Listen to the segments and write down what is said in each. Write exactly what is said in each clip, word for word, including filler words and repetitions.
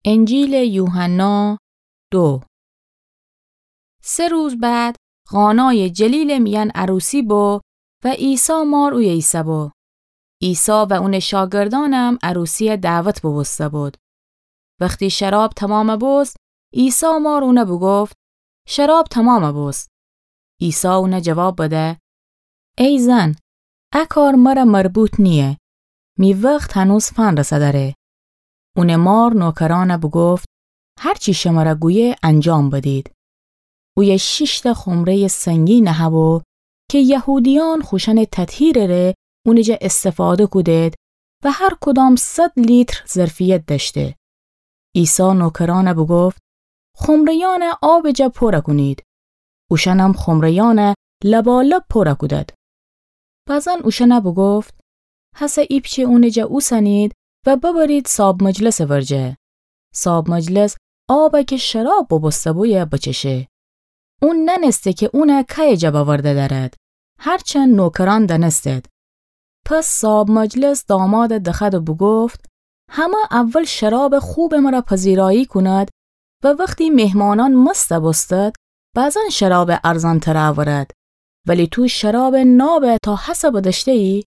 انجیلٚ یوحنا دو. سه روز بعد قانایٚ جلیلٚ میأن عروسی بو و عیسی مار اویه ایسه‌بو. عیسی و اونٚ شاگردأنم عروسیَ دعوت بوبوسته‌بود. وختی شراب تومامَ بوست، عیسی مار اونَ بوگفت: شراب تومامَ بوست. عیسی اونَ جواب بده: ای زن، ا کار مرَ مربوط نییه. می وخت هنوز فنرسه‌دأره. اونٚ مار نوکرأنَ بوگفت: هر چی شمرَ گویه انجام بدید. اویه شیشتأ خمره‌یٚ سنگین نهه‌بو کی یهودیأن خوشأنٚ تطهیرٚ ره اونٚ جا استفاده کودید و هر کدام صد لیتر ظرفیت دأشته. عیسی نوکرأنَ بوگفت: خمره‌یأنَ آبٚ جا پورَ کونید. اوشأنم خمره‌یأنَ لبالب پورَ کودد. بعضاً اوشأنَ بوگفت: هسه ایپچه اونٚ جا اوسنید و ببرید صاب مجلسٚ ورجه. صاب مجلس آبَ کی شراب بوبوسته‌بویه بچشه. اون نأنسته کی اونَ کیٚ جا بأورده دأرد، هرچند نوکرأن دأنستید. پس صاب مجلس دامادَ دخوأد و بوگفت: همه اول شرابٚ خوبٚ مرَ پذیرایی کونید و وختی مهمانأن مست بوستید، بعضاً شرابٚ ارزان‌ترَ اورید، ولی تو شرابٚ نابَ تا هسه بدأشته‌یی؟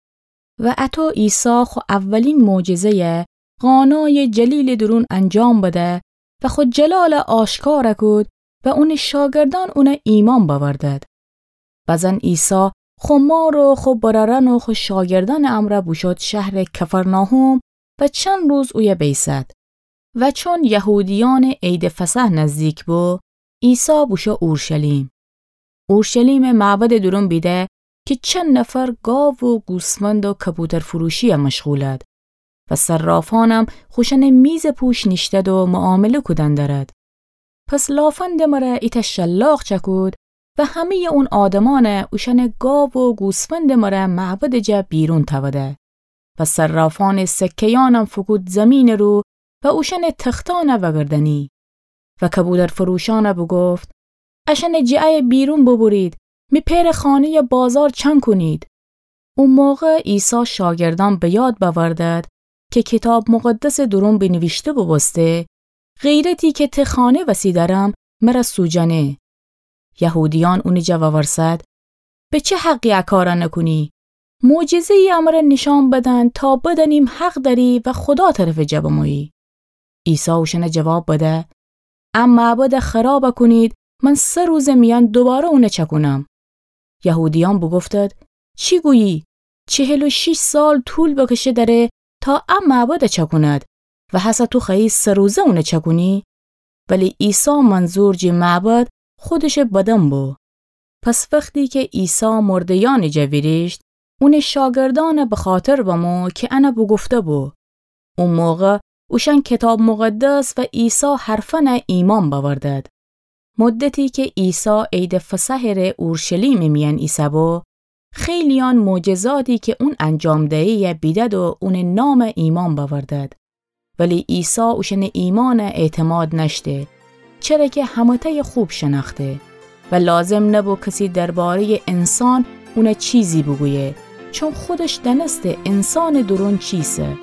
و اطو عیسی خو اولین معجزه‌یَ قانایٚ جلیلٚ دورون انجام بده و خو جلالَ آشکارَ کود و اونٚ شاگردأن اونَ ایمأن بأوردید. بعضاً عیسی خو مار و خو برأرأن و خو شاگردأنٚ امرأ بوشود شهرٚ کفرناحوم و چند روز اویه بیسد. و چون یهودیأنٚ عیدٚ فصح نزدیک بو، عیسی بوشو اورشلیم. اورشلیمٚ معبدٚ دورون بیده کی چند نفر گاو و گوسفند و کبوترفروشی‌یَ مشغولد و صرافأنم خوشأنٚ میزٚ پوش نیشتد و معامله کودن دأرد. پس لافندٚ مرَ ایتأ شلاق چأکود و همه‌یٚ اون آدمأنَ اوشأنٚ گاو و گوسفندٚ مرَ معبدٚ جا بیرون تأوده. و صرافأنٚ سکه‌یأنم فوکود زیمینٚ رو و اوشأنٚ تختأنَ وأگردأنی. و کبوترفروشأنَ بوگفت: اشأنٚ جٚه ایه بیرون بوبورید، می پئرٚ خانه‌یَ بازار چنگ کونید. او موقع عیسی شاگردأن به یاد بأوردد کی کیتاب مقدسٚ دورون بینیویشته بوبوسته: غیرتی کی ته خانه وسی دأرم، مرَ سوجأنه. یهودیأن اونٚ جا وورسد: به چه حقی ا کارَ نوکونی؟ معجزه‌یی امرَ نیشأن بدن تا بدأنیم حق دأری و خودا طرفٚ جا بمویی. عیسی اوشأنَ جواب بده: ا معبدَ خرابَ کونید، من سه روزٚ میأن دوباره اونَ چأکونم. یهودیأن بوگفتد: چی گویی؟ چهل و شیش سال طول بکشه دأره تا ا معبدَ چأکوند و هسه تو خوأیی سه روزه اونَ چأکونی؟ ولی عیسی منظور جٚه معبد خودشٚ بدن بو. پس وختی کی عیسی مرده‌یأنٚ جا ویریشت، اونٚ شاگردأنَ بخاطر بمو کی انَ بوگفته‌بو. او موقع اوشأن کیتاب مقدس و عیسی حرفأنَ ایمأن بأوردد. مدتی کی عیسی عیدٚ فصحٚ ره اورشلیمٚ میأن ایسه‌بو، خیلییأن معجزاتی کی اون انجام دیه‌یی بیدد و اونٚ نامَ ایمأن بأوردد. ولی عیسی اوشأنٚ ایمأنَ اعتماد نأشته، چره کی همه‌تأیَ خوب شنأخته و لازم نبو کسی درباره‌یٚ انسان اونَ چیزی بوگویه، چون خودش دأنسته انسانٚ دورون چیسه.